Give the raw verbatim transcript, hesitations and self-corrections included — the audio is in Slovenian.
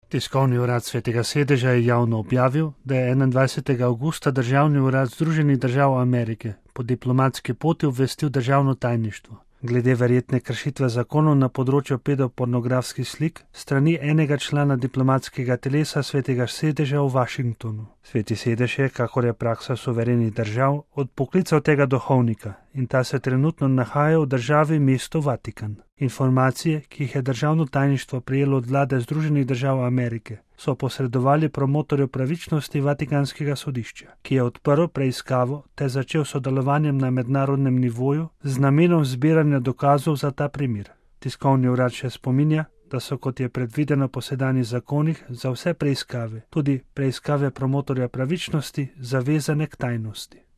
Tiskovni urad Svetega sedeža je javno objavil, da je enaindvajsetega avgusta Državni urad Združenih držav Amerike po diplomatski poti obvestil državno tajništvo glede verjetne kršitve zakonov na področju pedopornografskih slik strani enega člana diplomatskega telesa Svetega sedeža v Washingtonu. Sveti sedež je, kakor je praksa suverenih držav, odpoklical tega duhovnika in ta se trenutno nahaja v državi mesto Vatikan. Informacije, ki jih je državno tajništvo prejelo od vlade Združenih držav Amerike, so posredovali promotorju pravičnosti Vatikanskega sodišča, ki je odprl preiskavo te začel sodelovanjem na mednarodnem nivoju z namenom zbiranja dokazov za ta primer. Tiskovni urad še spominja, da so, kot je predvideno po sedanjih zakonih, za vse preiskave, tudi preiskave promotorja pravičnosti, zavezane k tajnosti.